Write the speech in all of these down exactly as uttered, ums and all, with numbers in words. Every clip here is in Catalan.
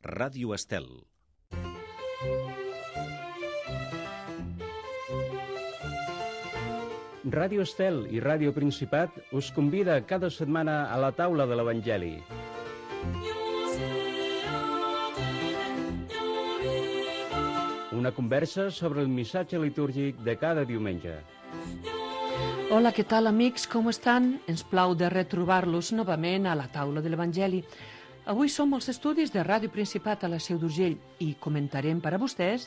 Ràdio Estel. Ràdio Estel i Ràdio Principat us convida cada setmana a la taula de l'Evangeli. Una conversa sobre el missatge litúrgic de cada diumenge. Hola, què tal, amics? Com estan? Ens plau de retrobar-los novament a la taula de l'Evangeli. Avui som als estudis de Ràdio Principat a la Seu d'Urgell i comentarem per a vostès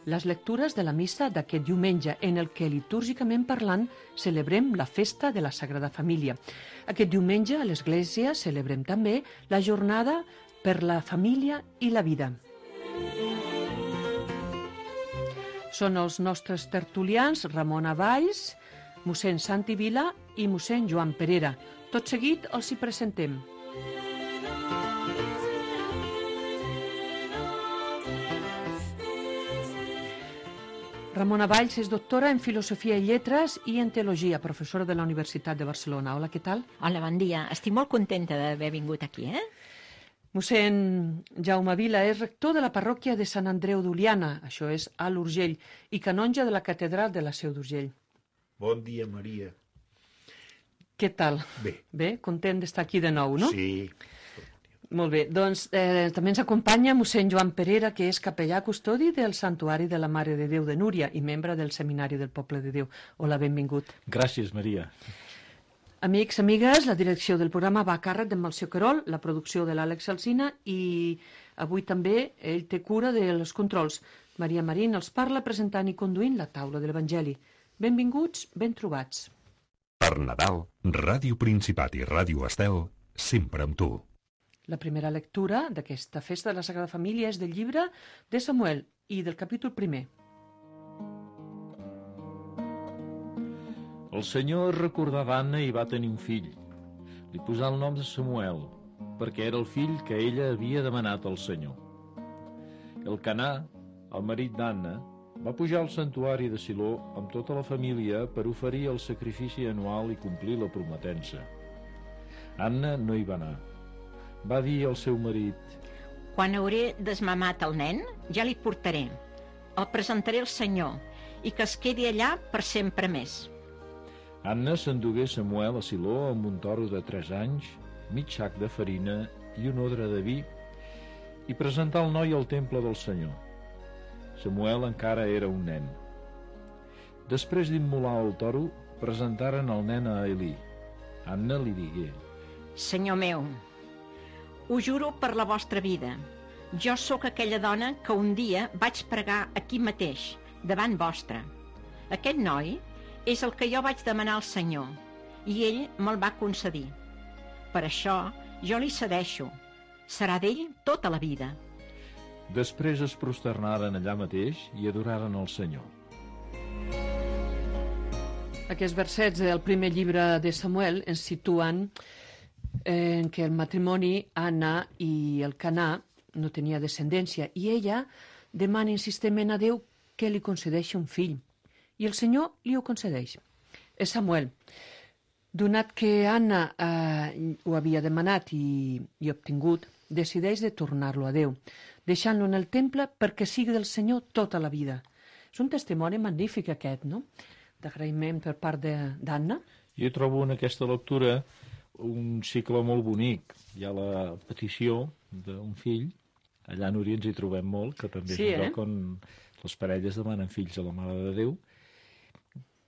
les lectures de la missa d'aquest diumenge, en el que, litúrgicament parlant, celebrem la festa de la Sagrada Família. Aquest diumenge, a l'Església, celebrem també la jornada per la família i la vida. Són els nostres tertulians Ramona Valls, mossèn Santi Vila i mossèn Joan Perera. Tot seguit els hi presentem. Ramona Valls és doctora en Filosofia i Lletres i en Teologia, professora de la Universitat de Barcelona. Hola, què tal? Hola, bon dia. Estic molt contenta d'haver vingut aquí, eh? Mossèn Jaume Vila és rector de la parròquia de Sant Andreu d'Oliana, això és a l'Urgell, i canonge de la catedral de la Seu d'Urgell. Bon dia, Maria. Què tal? Bé. Bé, content d'estar aquí de nou, no? Sí. Molt bé, doncs eh, també ens acompanya mossèn Joan Perera, que és capellà custodi del Santuari de la Mare de Déu de Núria i membre del Seminari del Poble de Déu. Hola, benvingut. Gràcies, Maria. Amics, amigues, la direcció del programa va a càrrec d'en Melcior Querol, la producció de l'Àlex Alsina i avui també ell té cura dels controls. Maria Marín els parla presentant i conduint la taula de l'Evangeli. Benvinguts, ben trobats. Per Nadal, Ràdio Principat i Ràdio Estel, sempre amb tu. La primera lectura d'aquesta festa de la Sagrada Família és del llibre de Samuel i del capítol primer. El Senyor recordà d'Anna i va tenir un fill. Li posà el nom de Samuel, perquè era el fill que ella havia demanat al Senyor. El Canà, el marit d'Anna, va pujar al santuari de Siló amb tota la família per oferir el sacrifici anual i complir la prometença. Anna no hi va anar. Va dir al seu marit: Quan hauré desmamat el nen, ja li portaré. El presentaré al Senyor i que es quedi allà per sempre més. Anna s'endugué Samuel a Siló amb un toro de tres anys, mig sac de farina i un odre de vi, i presentà el noi al temple del Senyor. Samuel encara era un nen. Després d'immolar el toro, presentaren el nen a Elí. Anna li digué: Senyor meu, ho juro per la vostra vida. Jo sóc aquella dona que un dia vaig pregar aquí mateix, davant vostre. Aquest noi és el que jo vaig demanar al Senyor, i ell me'l va concedir. Per això jo li cedeixo. Serà d'ell tota la vida. Després es prosternaren allà mateix i adoraren el Senyor. Aquests versets del primer llibre de Samuel ens situen en què el matrimoni, Anna i el Canà, no tenia descendència, i ella demana insistentment a Déu que li concedeixi un fill, i el Senyor li ho concedeix. És Samuel. Donat que Anna eh, ho havia demanat i, i obtingut, decideix de tornar-lo a Déu, deixant-lo en el temple perquè sigui del Senyor tota la vida. És un testimoni magnífic aquest, no?, d'agraïment per part d'Anna. Jo trobo en aquesta lectura un cicle molt bonic. Hi ha la petició d'un fill, allà a Núria ens hi trobem molt, que també sí, és un eh? lloc on les parelles demanen fills a la Mare de Déu.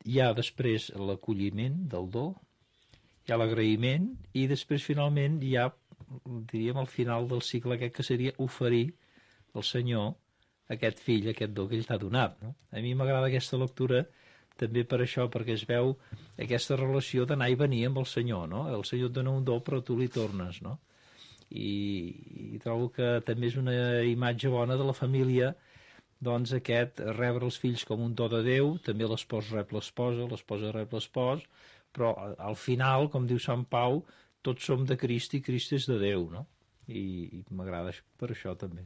Hi ha després l'acolliment del do, hi ha l'agraïment, i després finalment hi ha, diríem, al final del cicle aquest, que seria oferir al Senyor aquest fill, aquest do que ell t'ha donat, no? A mi m'agrada aquesta lectura també per això, perquè es veu aquesta relació d'anar i venir amb el Senyor, no? El Senyor et dona un do, però tu li tornes, no? I, i trobo que també és una imatge bona de la família, doncs aquest rebre els fills com un do de Déu, també l'espòs rep l'esposa, l'esposa rep l'espòs, però al final, com diu Sant Pau, tots som de Crist i Crist és de Déu, no? I, i m'agrada per això també.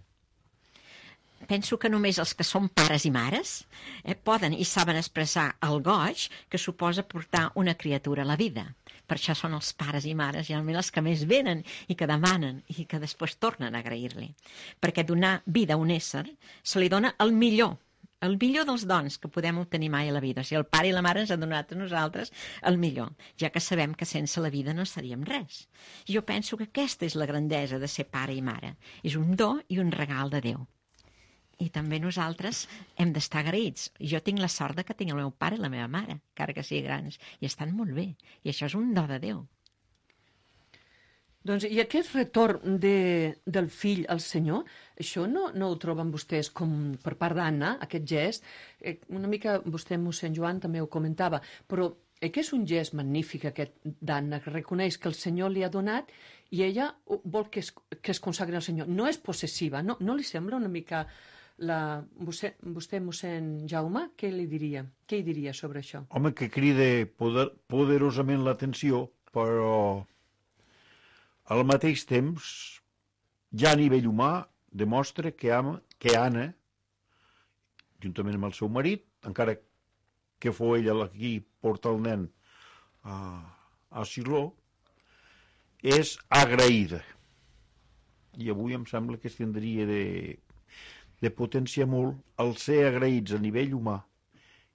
penso que només els que són pares i mares eh, poden i saben expressar el goig que suposa portar una criatura a la vida. Per això són els pares i mares, generalment els que més venen i que demanen i que després tornen a agrair-li. Perquè donar vida a un ésser se li dona el millor, el millor dels dons que podem obtenir mai a la vida. O sigui, el pare i la mare ens han donat a nosaltres el millor, ja que sabem que sense la vida no seríem res. Jo penso que aquesta és la grandesa de ser pare i mare. És un do i un regal de Déu. I també nosaltres hem d'estar agraïts. Jo tinc la sort de que tinc el meu pare i la meva mare, encara que siguin grans, i estan molt bé. I això és un do de Déu. Doncs, i aquest retorn de, del fill al Senyor, això no, no ho troben vostès com per part d'Anna, aquest gest? Eh, una mica vostè, mossèn Joan, també ho comentava, però eh, que és un gest magnífic aquest d'Anna, que reconeix que el Senyor li ha donat i ella vol que es, que es consagri al Senyor. No és possessiva, no, no li sembla una mica... La, vostè, vostè, mossèn Jaume, què li diria? Què hi diria sobre això? Home, que crida poder, poderosament l'atenció, però al mateix temps, ja a nivell humà, demostra que, ama, que Anna, juntament amb el seu marit, encara que fou ella qui porta el nen a, a Siló, és agraïda. I avui em sembla que es tindria de... de potenciar molt el ser agraïts a nivell humà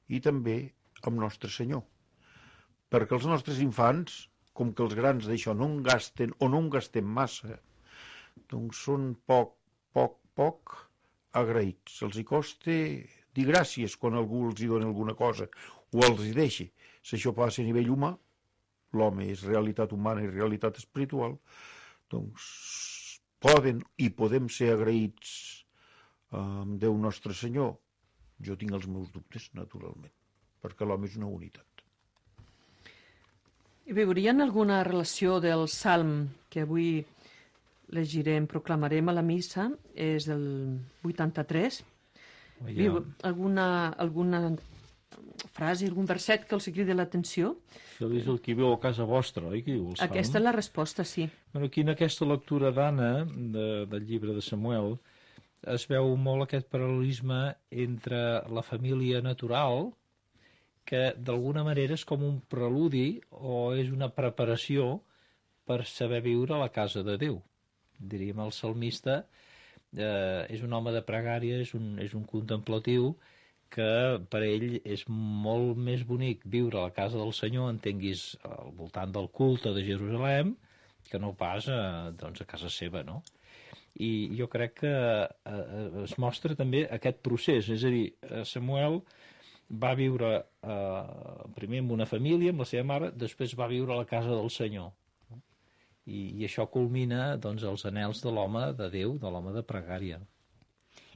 i també amb Nostre Senyor. Perquè els nostres infants, com que els grans d'això no en gasten o no en gastem massa, doncs són poc, poc, poc agraïts. Els hi costa dir gràcies quan algú els hi dona alguna cosa o els hi deixa. Si això passa a nivell humà, l'home és realitat humana i realitat espiritual, doncs poden i podem ser agraïts amb Déu Nostre Senyor. Jo tinc els meus dubtes, naturalment, perquè l'home és una unitat. I veurien alguna relació del salm que avui llegirem, proclamarem a la missa, és el vuitanta-tres. Ja. Viu alguna, alguna frase, algun verset que els cridi l'atenció? Això és el que viu a casa vostra, oi? Que diu el salm. Aquesta és la resposta, sí. Bueno, aquí en aquesta lectura d'Anna, de, del llibre de Samuel, es veu molt aquest paral·lelisme entre la família natural, que d'alguna manera és com un preludi o és una preparació per saber viure a la casa de Déu. Diríem, el salmista eh, és un home de pregària, és un, és un contemplatiu, que per ell és molt més bonic viure a la casa del Senyor, entenguis al voltant del culte de Jerusalem, que no pas a, doncs, a casa seva, no? I jo crec que eh, es mostra també aquest procés, és a dir, Samuel va viure eh, primer amb una família, amb la seva mare, després va viure a la casa del Senyor. I, i això culmina doncs, els anhels de l'home de Déu, de l'home de pregària.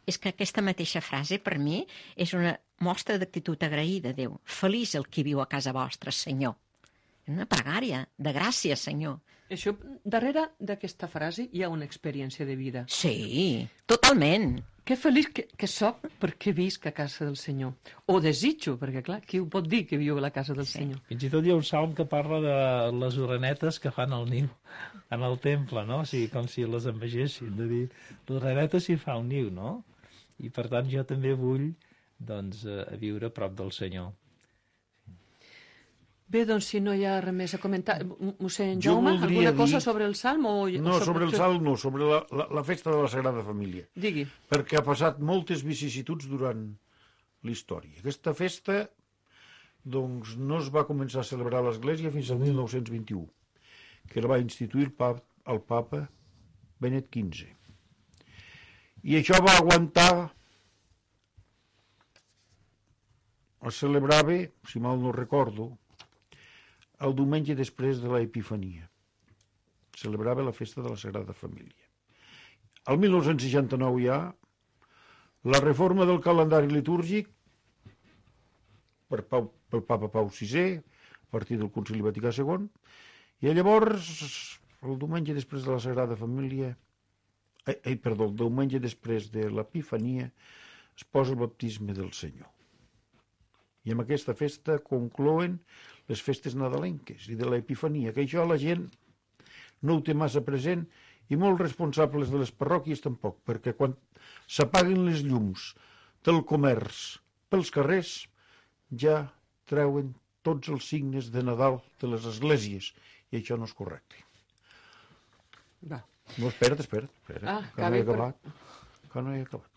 És que aquesta mateixa frase, per mi, és una mostra d'actitud agraïda a Déu. Feliç el qui viu a casa vostra, Senyor. Una pregària de gràcia, Senyor. Això, darrere d'aquesta frase hi ha una experiència de vida. Sí, totalment. Que feliç que, que soc perquè visc a casa del Senyor. O desitjo, perquè clar, qui ho pot dir que viu a la casa del sí. Senyor? Fins i tot hi ha un salm que parla de les orenetes que fan el niu en el temple, no? O sigui, com si les envegessin, de dir, l'oreneta s'hi fa un niu, no? I per tant jo també vull doncs, a viure a prop del Senyor. Bé, doncs, si no hi ha res més a comentar, mossèn Jaume, alguna dir... cosa sobre el Salm? O... No, sobre, sobre el Salm no, sobre la, la, la festa de la Sagrada Família. Digui. Perquè ha passat moltes vicissituds durant l'història. Aquesta festa, doncs, no es va començar a celebrar a l'Església fins al mil nou-cents vint-i-u, que la va instituir el papa, el papa Benet quinze. I això va aguantar... Es celebrava, si mal no recordo, el diumenge després de l'Epifania. Celebrava la festa de la Sagrada Família. El mil nou-cents seixanta-nou ja, la reforma del calendari litúrgic per Pau, pel papa Pau sisè, a partir del Concili Vaticà segon, i llavors, el diumenge després de la Sagrada Família, eh, eh, perdó, el diumenge després de l'Epifania, es posa el baptisme del Senyor. I amb aquesta festa conclouen les festes nadalenques i de l'Epifania, que això la gent no ho té massa present I molts responsables de les parròquies tampoc, perquè quan s'apaguen les llums del comerç pels carrers ja treuen tots els signes de Nadal de les esglésies, i això no és correcte. Va. No, espera't, espera't, espera't, Ah, que no he acabat. Que no he acabat.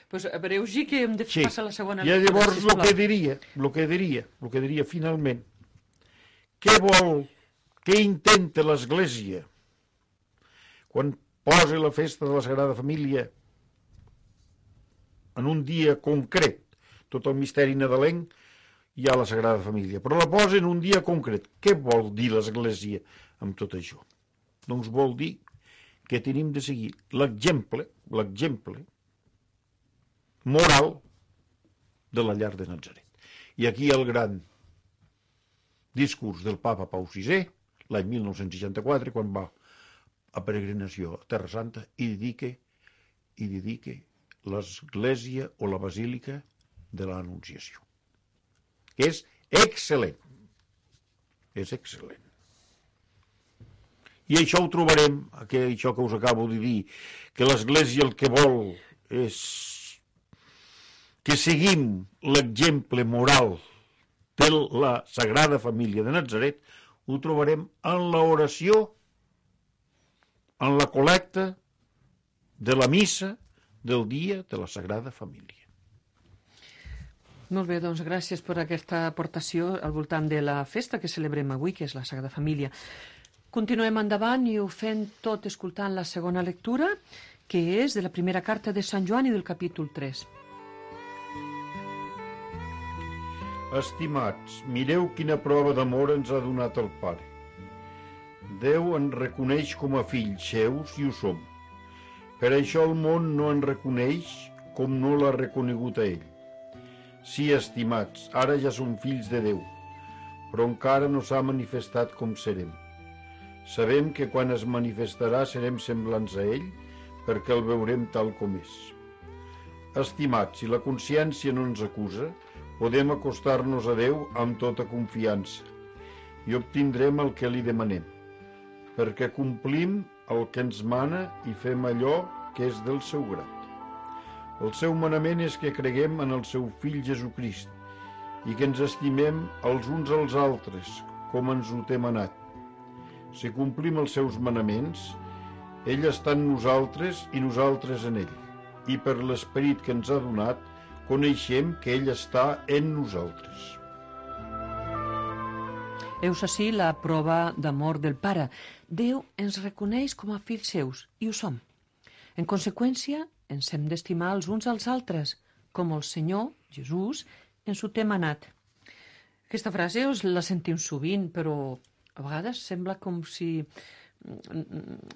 Pues a veure, sí que hem de Sí, passar a la segona i lectura, llavors el sisplau. que diria, el que diria, el que diria finalment, què vol, què intenta l'Església quan posa la festa de la Sagrada Família en un dia concret, tot el misteri nadalenc hi ha la Sagrada Família, però la posa en un dia concret. Què vol dir l'Església amb tot això? Doncs vol dir que tenim de seguir l'exemple, l'exemple moral de la llar de Natzaret. I aquí el gran discurs del papa Pau sisè, l'any mil nou-cents seixanta-quatre, quan va a peregrinació a Terra Santa, i dedica, i dedica l'església o la basílica de l'Anunciació, que és excel·lent. És excel·lent. I això ho trobarem, això que us acabo de dir, que l'Església el que vol és que seguim l'exemple moral de la Sagrada Família de Natzaret, ho trobarem en l'oració, en la col·lecta de la missa del dia de la Sagrada Família. Molt bé, doncs gràcies per aquesta aportació al voltant de la festa que celebrem avui, que és la Sagrada Família. Continuem endavant i ho fem tot escoltant la segona lectura, que és de la primera carta de Sant Joan i del capítol tres. Estimats, mireu quina prova d'amor ens ha donat el Pare. Déu ens reconeix com a fills seus i ho som. Per això el món no ens reconeix com no l'ha reconegut a ell. Sí, estimats, ara ja som fills de Déu, però encara no s'ha manifestat com serem. Sabem que quan es manifestarà serem semblants a ell, perquè el veurem tal com és. Estimats, si la consciència no ens acusa, podem acostar-nos a Déu amb tota confiança i obtindrem el que li demanem, perquè complim el que ens mana i fem allò que és del seu grat. El seu manament és que creguem en el seu fill Jesucrist i que ens estimem els uns als altres, com ens ho té manat. Si complim els seus manaments, ell està en nosaltres i nosaltres en ell, i per l'esperit que ens ha donat, coneixem que ell està en nosaltres. Heus ací la prova d'amor del Pare. Déu ens reconeix com a fills seus, i ho som. En conseqüència, ens hem d'estimar els uns als altres, com el Senyor, Jesús, ens ho té manat. Aquesta frase us la sentim sovint, però a vegades sembla com si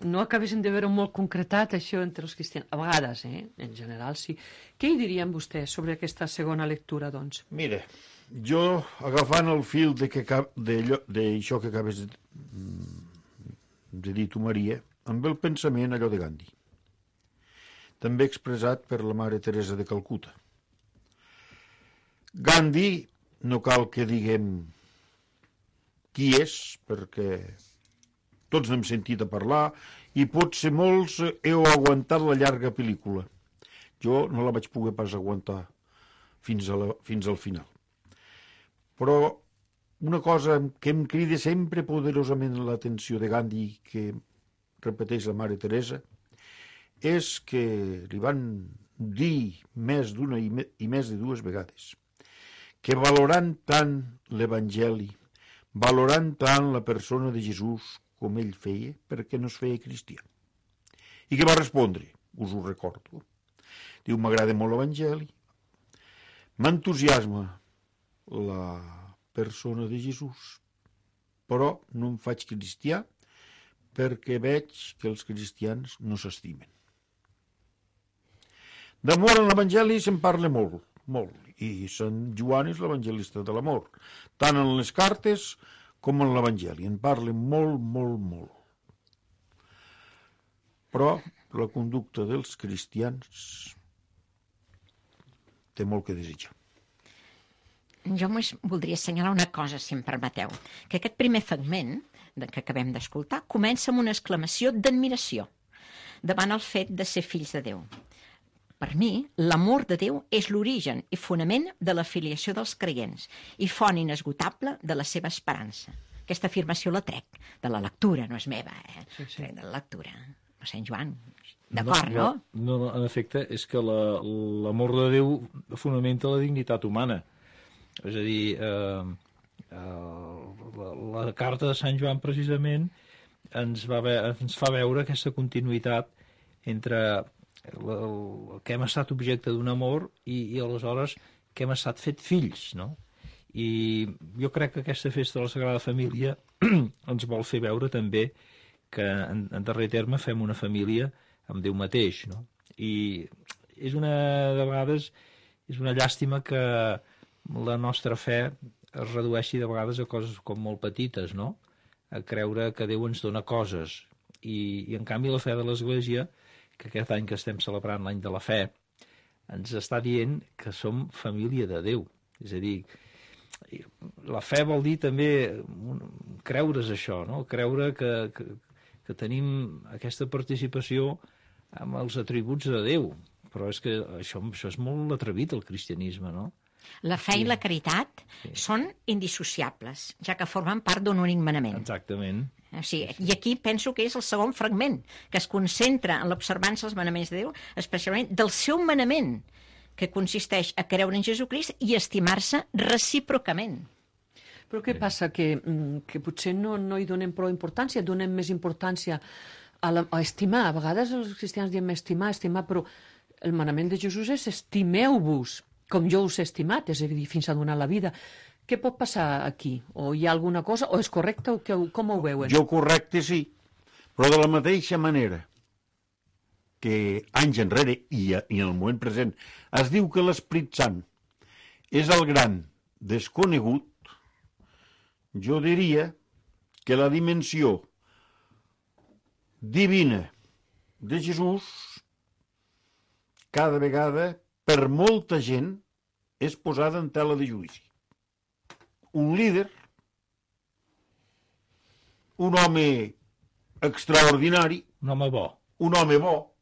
no acabessin de veure molt concretat això entre els cristians. A vegades, eh? En general, sí. Què hi dirien vostès sobre aquesta segona lectura, doncs? Mira, jo, agafant el fil d'això que acabes de, de dir tu, Maria, amb el pensament allò de Gandhi, també expressat per la Mare Teresa de Calcuta. Gandhi, no cal que diguem qui és, perquè tots n'hem sentit a parlar, i potser molts heu aguantat la llarga pel·lícula. Jo no la vaig poder pas aguantar fins, a la, fins al final. Però una cosa que em crida sempre poderosament l'atenció de Gandhi, que repeteix la Mare Teresa, és que li van dir més d'una i, me, i més de dues vegades que valorant tant l'Evangeli, valorant tant la persona de Jesús com ell feia, perquè no es feia cristià. I què va respondre? Us ho recordo. Diu, m'agrada molt l'Evangeli, m'entusiasma la persona de Jesús, però no em faig cristià perquè veig que els cristians no s'estimen. D'amor en l'Evangeli se'n parla molt, molt, i Sant Joan és l'evangelista de l'amor, tant en les cartes com en l'Evangeli. En parla molt, molt, molt. Però la conducta dels cristians té molt que desitjar. Jo només voldria assenyalar una cosa, si em permeteu, que aquest primer fragment que acabem d'escoltar, comença amb una exclamació d'admiració davant el fet de ser fills de Déu. Per mi, l'amor de Déu és l'origen i fonament de la filiació dels creients i font inesgotable de la seva esperança. Aquesta afirmació la trec de la lectura, no és meva, eh? Sí, sí. De la lectura. Sant Joan, d'acord, no? No, no, en efecte, és que l'amor de Déu fonamenta la dignitat humana. És a dir, eh, eh, la, la carta de Sant Joan, precisament, ens, va ve, ens fa veure aquesta continuïtat entre el, el que hem estat objecte d'un amor i, i aleshores que hem estat fet fills, no? I jo crec que aquesta festa de la Sagrada Família ens vol fer veure també que en, en darrer terme fem una família amb Déu mateix, no? I és una, de vegades, és una llàstima que la nostra fe es redueixi de vegades a coses com molt petites, no? A creure que Déu ens dona coses. I, i en canvi la fe de l'Església, que aquest any que estem celebrant l'any de la fe, ens està dient que som família de Déu. És a dir, la fe vol dir també creure's això, no? Creure que, que, que tenim aquesta participació amb els atributs de Déu. Però és que això, això és molt atrevit, el cristianisme, no? La fe Sí. i la caritat Sí. són indissociables, ja que formen part d'un únic manament. Exactament. O sigui, I aquí penso que és el segon fragment, que es concentra en l'observança dels manaments de Déu, especialment del seu manament, que consisteix a creure en Jesucrist i estimar-se recíprocament. Però què passa? Que, mm, que potser no, no hi donem prou importància, donem més importància a, la, a estimar. A vegades els cristians diem estimar, estimar, però el manament de Jesús és estimeu-vos com jo us he estimat, és a dir, fins a donar la vida. Què pot passar aquí? O hi ha alguna cosa? O és correcte? O que, com ho veuen? Jo correcte sí, però de la mateixa manera que anys enrere i, a, i en el moment present es diu que l'Esperit Sant és el gran desconegut, jo diria que la dimensió divina de Jesús cada vegada per molta gent és posada en tela de judici. Un líder, un home extraordinari, Un home bo. un home bo,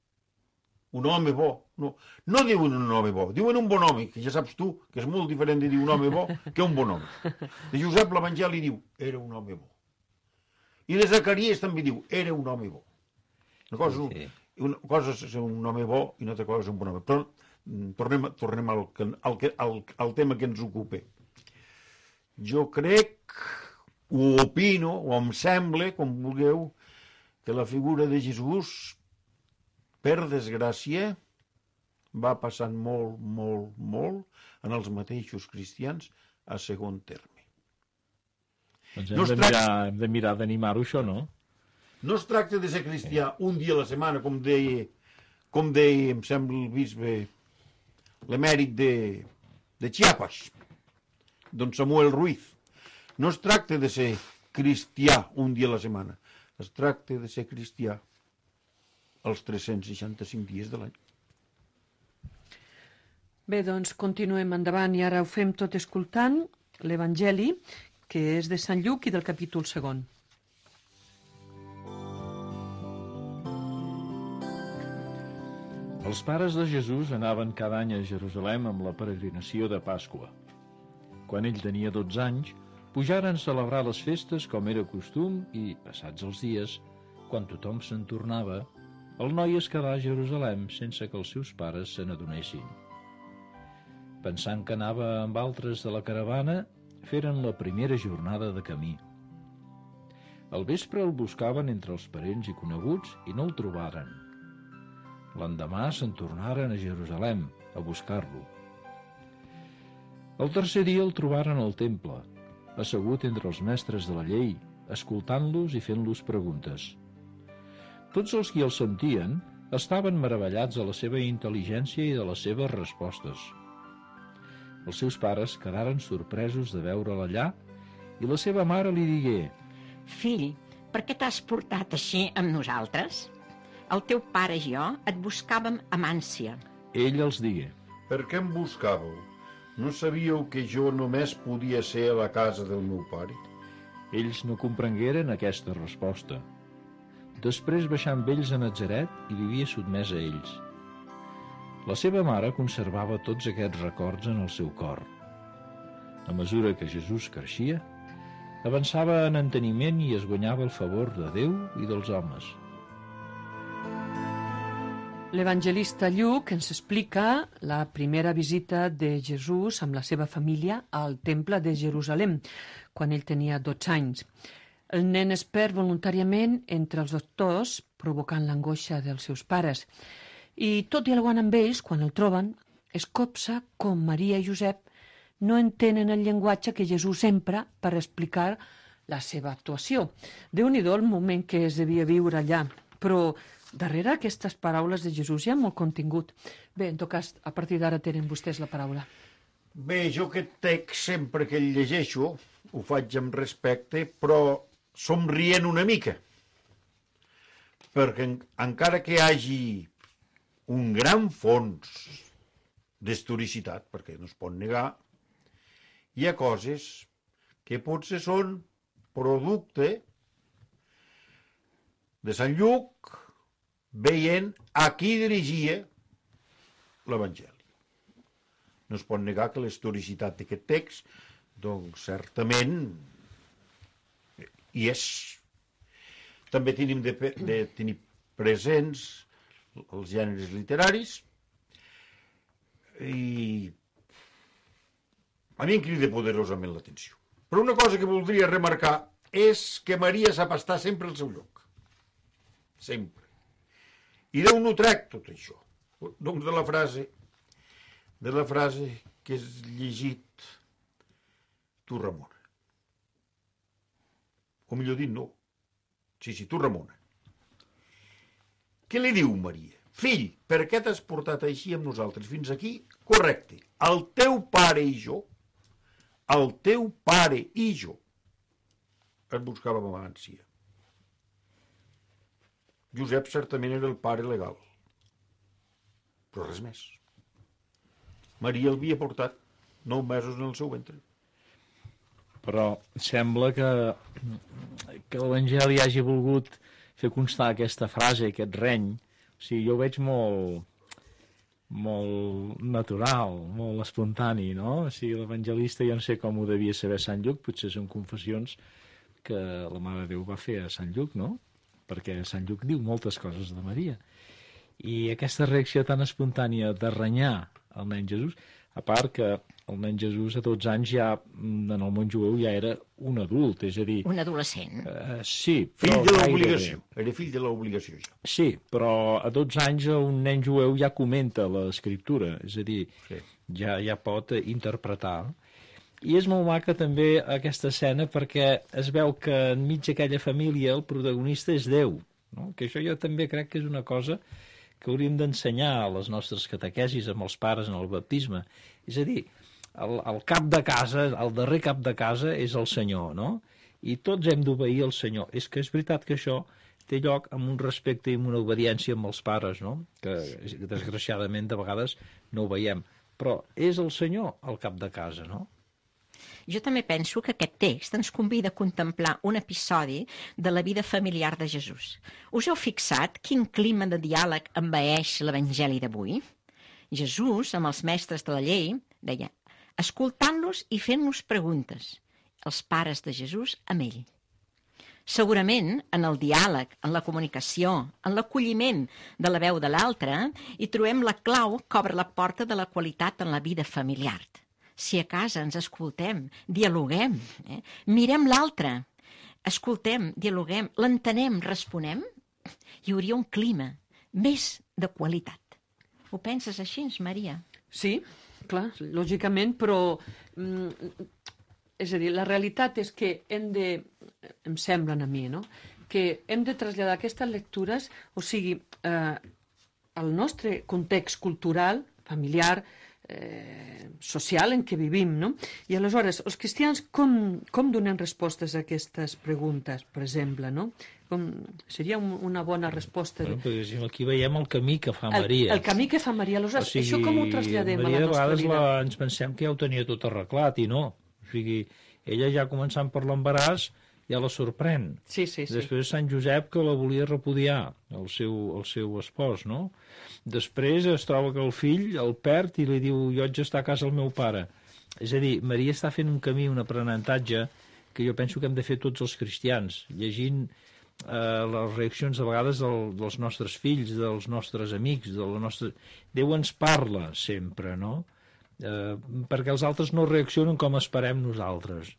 un home bo, no, no diuen un home bo, diuen un bon home, que ja saps tu que és molt diferent de dir un home bo que un bon home. De Josep l'Evangeli diu, era un home bo. I de Zacaries també diu, era un home bo. Una cosa, Sí. una cosa és ser un home bo i una altra cosa és un bon home. Però tornem, tornem al, al, al, al tema que ens ocupa. Jo crec, ho opino, o em sembla, com vulgueu, que la figura de Jesús, per desgràcia, va passant molt, molt, molt en els mateixos cristians a segon terme. Doncs hem, No es de tracta- mirar, hem de mirar d'animar-ho, això, no? No es tracta de ser cristià un dia a la setmana, com deia, com deia, em sembla, el bisbe, l'emèrit de, de Chiapas, don Samuel Ruiz. No es tracta de ser cristià un dia a la setmana, es tracta de ser cristià els tres-cents seixanta-cinc dies de l'any. Bé, doncs continuem endavant i ara ho fem tot escoltant l'Evangeli, que és de Sant Lluc i del capítol segon. Els pares de Jesús anaven cada any a Jerusalem amb la peregrinació de Pasqua. Quan ell tenia dotze anys, pujaren a celebrar les festes com era costum i, passats els dies, quan tothom se'n tornava, el noi es quedà a Jerusalem sense que els seus pares se n'adonessin. Pensant que anava amb altres de la caravana, feren la primera jornada de camí. Al vespre el buscaven entre els parents i coneguts i no el trobaren. L'endemà se'n tornaren a Jerusalem a buscar-lo. El tercer dia el trobaren al temple, assegut entre els mestres de la llei, escoltant-los i fent-los preguntes. Tots els qui el sentien estaven meravellats de la seva intel·ligència i de les seves respostes. Els seus pares quedaren sorpresos de veure'l allà i la seva mare li digué: Fill, per què t'has portat així amb nosaltres? El teu pare i jo et buscàvem amb ànsia. Ell els digué: Per què em buscàveu? No sabíeu que jo només podia ser a la casa del meu pare? Ells no comprengueren aquesta resposta. Després baixà amb ells a Natzaret i vivia sotmès a ells. La seva mare conservava tots aquests records en el seu cor. A mesura que Jesús creixia, avançava en enteniment i es guanyava el favor de Déu i dels homes. L'evangelista Lluc ens explica la primera visita de Jesús amb la seva família al Temple de Jerusalem, quan ell tenia dotze anys. El nen es perd voluntàriament entre els doctors, provocant l'angoixa dels seus pares. I tot dialogant amb ells, quan el troben, es copsa com Maria i Josep no entenen el llenguatge que Jesús empra per explicar la seva actuació. Déu-n'hi-do el moment que es devia viure allà, però darrere aquestes paraules de Jesús hi ha molt contingut. Bé, en tot cas, a partir d'ara tenen vostès la paraula. Bé, jo aquest text sempre que el llegeixo ho faig amb respecte, però somrient una mica, perquè en, encara que hi hagi un gran fons d'historicitat, perquè no es pot negar, hi ha coses que potser són producte de Sant Lluc veient a qui dirigia l'Evangeli. No es pot negar que la historicitat d'aquest text, doncs certament hi és. També tenim de, de tenir presents els gèneres literaris i a mi em crida poderosament l'atenció. Però una cosa que voldria remarcar és que Maria sap estar sempre al seu lloc. Sempre. I d'on ho trec tot això? Doncs de la frase de la frase que has llegit tu, Ramona. O millor dit, no. Sí, sí, tu, Ramona. Què li diu Maria? Fill, per què t'has portat així amb nosaltres fins aquí? Correcte. El teu pare i jo, el teu pare i jo, et buscàvem amb ànsia. Josep certament era el pare legal, però res més. Maria el havia portat nou mesos en el seu ventre. Però sembla que, que l'Evangeli hagi volgut fer constar aquesta frase, aquest reny. O sigui, jo ho veig molt, molt natural, molt espontani, no? O sigui, l'evangelista jo no sé com ho devia saber Sant Lluc, potser són confessions que la Mare de Déu va fer a Sant Lluc, no? Perquè Sant Lluc diu moltes coses de Maria. I aquesta reacció tan espontània de renyar el nen Jesús, a part que el nen Jesús a dotze anys ja, en el món jueu, ja era un adult, és a dir... Un adolescent. Uh, sí, però... Fill de l'obligació, gairebé. era fill de l'obligació, ja. Sí, però a dotze anys un nen jueu ja comenta l'escriptura, és a dir, sí. ja, ja pot interpretar. I és molt maca també aquesta escena perquè es veu que enmig d'aquella família el protagonista és Déu, no? Que això jo també crec que és una cosa que hauríem d'ensenyar a les nostres catequesis amb els pares en el baptisme. És a dir, el, el cap de casa, el darrer cap de casa és el Senyor, no? I tots hem d'obeir el Senyor. És que és veritat que això té lloc amb un respecte i amb una obediència amb els pares, no? Que desgraciadament de vegades no ho veiem. Però és el Senyor el cap de casa, no? Jo també penso que aquest text ens convida a contemplar un episodi de la vida familiar de Jesús. Us heu fixat quin clima de diàleg envaeix l'Evangeli d'avui? Jesús, amb els mestres de la llei, deia, escoltant-los i fent-los preguntes. Els pares de Jesús amb ell. Segurament, en el diàleg, en la comunicació, en l'acolliment de la veu de l'altre, hi trobem la clau que obre la porta de la qualitat en la vida familiar. Si a casa ens escoltem, dialoguem, eh? mirem l'altre, escoltem, dialoguem, l'entenem, responem, hi hauria un clima més de qualitat. Ho penses així, Maria? Sí, clar, lògicament, però mm, és a dir, la realitat és que hem de, em semblen a mi, no? que hem de traslladar aquestes lectures, o sigui, eh, al nostre context cultural, familiar, Eh, social en què vivim, no? I aleshores, els cristians com, com donen respostes a aquestes preguntes, per exemple, no? Com, seria un, una bona resposta. Bueno, perquè aquí veiem el camí que fa Maria. El, el camí que fa Maria, aleshores, o sigui, això com ho traslladem Maria, a la nostra vida? La, ens pensem que ja ho tenia tot arreglat, i no. O sigui, ella ja començant per l'embaràs ja la sorprèn. Sí, sí, sí. Després Sant Josep, que la volia repudiar, el seu, el seu espòs, no? Després es troba que el fill el perd i li diu, jo haig d'estar a casa el meu pare. És a dir, Maria està fent un camí, un aprenentatge, que jo penso que hem de fer tots els cristians, llegint eh, les reaccions a vegades del, dels nostres fills, dels nostres amics, de la nostra... Déu ens parla sempre, no? Eh, perquè els altres no reaccionen com esperem nosaltres.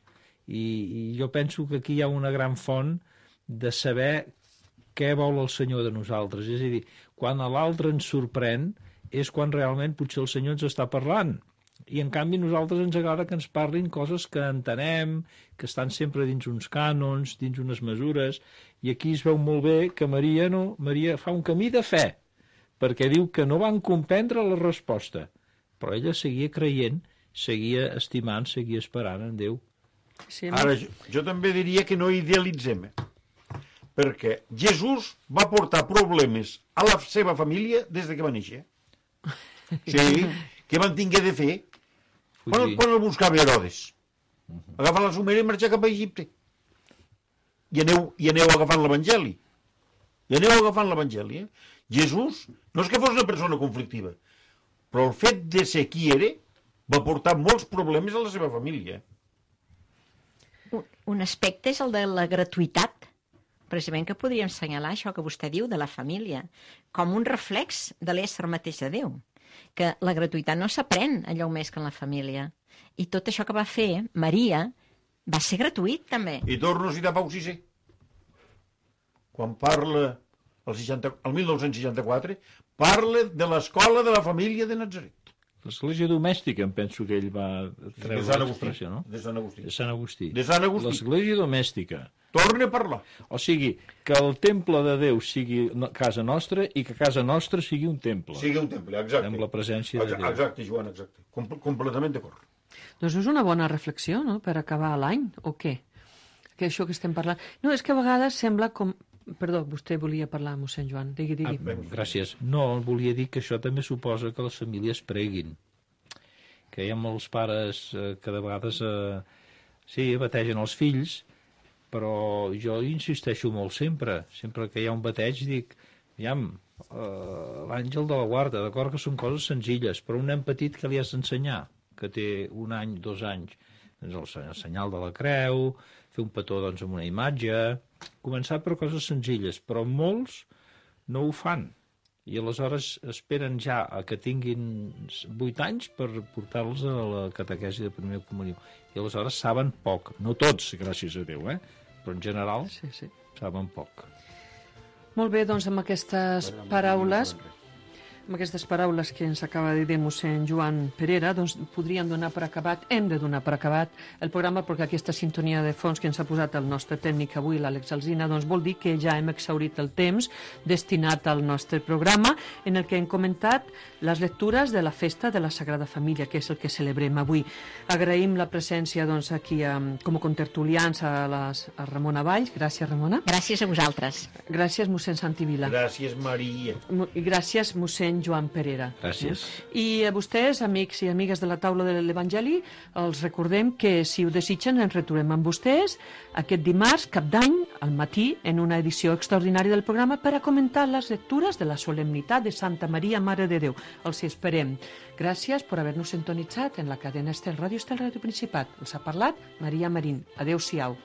I, I jo penso que aquí hi ha una gran font de saber què vol el Senyor de nosaltres. És a dir, quan l'altre ens sorprèn és quan realment potser el Senyor ens està parlant. I en canvi a nosaltres ens agrada que ens parlin coses que entenem, que estan sempre dins uns cànons, dins unes mesures, i aquí es veu molt bé que Maria no, Maria fa un camí de fe, perquè diu que no van comprendre la resposta, però ella seguia creient, seguia estimant, seguia esperant en Déu. Sí, Ara, jo, jo també diria que no idealitzem, eh? Perquè Jesús va portar problemes a la seva família des de que va néixer. Sí, què van tingué de fer? Quan, quan el buscava Herodes? Agafar la somera i marxar cap a Egipte. I aneu, i aneu agafant l'Evangeli. I aneu agafant l'Evangeli. Eh? Jesús no és que fos una persona conflictiva, però el fet de ser qui era va portar molts problemes a la seva família. Un, un aspecte és el de la gratuïtat, precisament que podríem assenyalar això que vostè diu de la família, com un reflex de l'ésser mateix de Déu, que la gratuïtat no s'aprèn allò més que en la família. I tot això que va fer Maria va ser gratuït, també. I torno a citar Pau sisè. Quan parla, el, seixanta, el mil nou-cents seixanta-quatre, parla de l'escola de la família de Natzaret. L'església domèstica, em penso que ell va treure l'expressió, no? De Sant Agustí. De Sant Agustí. De Sant Agustí. L'església domèstica. Torna a parlar. O sigui, que el temple de Déu sigui casa nostra i que casa nostra sigui un temple. Sigui un temple, exacte. Amb la presència de Déu. Exacte, Joan, exacte. Com, completament d'acord. Doncs és una bona reflexió, no?, per acabar l'any, o què? Que això que estem parlant... No, és que a vegades sembla com... Perdó, vostè volia parlar, mossèn Joan. Digui, digui. Ah, gràcies. No, volia dir que això també suposa que les famílies preguin. Que hi ha molts pares eh, que de vegades eh, sí, bategen els fills, però jo insisteixo molt sempre. Sempre que hi ha un bateig dic, aviam, eh, l'àngel de la guarda, d'acord que són coses senzilles, però un nen petit que li has d'ensenyar, que té un any, dos anys, doncs el senyal de la creu, fer un petó doncs, amb una imatge, començar per coses senzilles, però molts no ho fan. I aleshores esperen ja a que tinguin vuit anys per portar-los a la catequesi de primera comunió. I aleshores saben poc. No tots, gràcies a Déu, eh? Però en general Sí, sí. saben poc. Molt bé, doncs amb aquestes paraules... Amb aquestes paraules que ens acaba de dir mossèn Joan Perera, doncs podríem donar per acabat, hem de donar per acabat el programa, perquè aquesta sintonia de fons que ens ha posat el nostre tècnic avui, l'Àlex Alsina, doncs vol dir que ja hem exhaurit el temps destinat al nostre programa, en el que hem comentat les lectures de la festa de la Sagrada Família, que és el que celebrem avui. Agraïm la presència doncs, aquí um, com a contertulians a, les, a Ramona Valls. Gràcies, Ramona. Gràcies a vosaltres. Gràcies, mossèn Santi Vila. Gràcies, Maria. I gràcies, mossèn Joan Perera. Gràcies. I a vostès, amics i amigues de la taula de l'Evangeli, els recordem que, si ho desitgen, ens retrobem amb vostès aquest dimarts, cap d'any, al matí, en una edició extraordinària del programa per a comentar les lectures de la solemnitat de Santa Maria, Mare de Déu. Els hi esperem. Gràcies per haver-nos sintonitzat en la cadena Estel, Ràdio Estel, Ràdio Principat. Els ha parlat Maria Marín. Adéu-siau.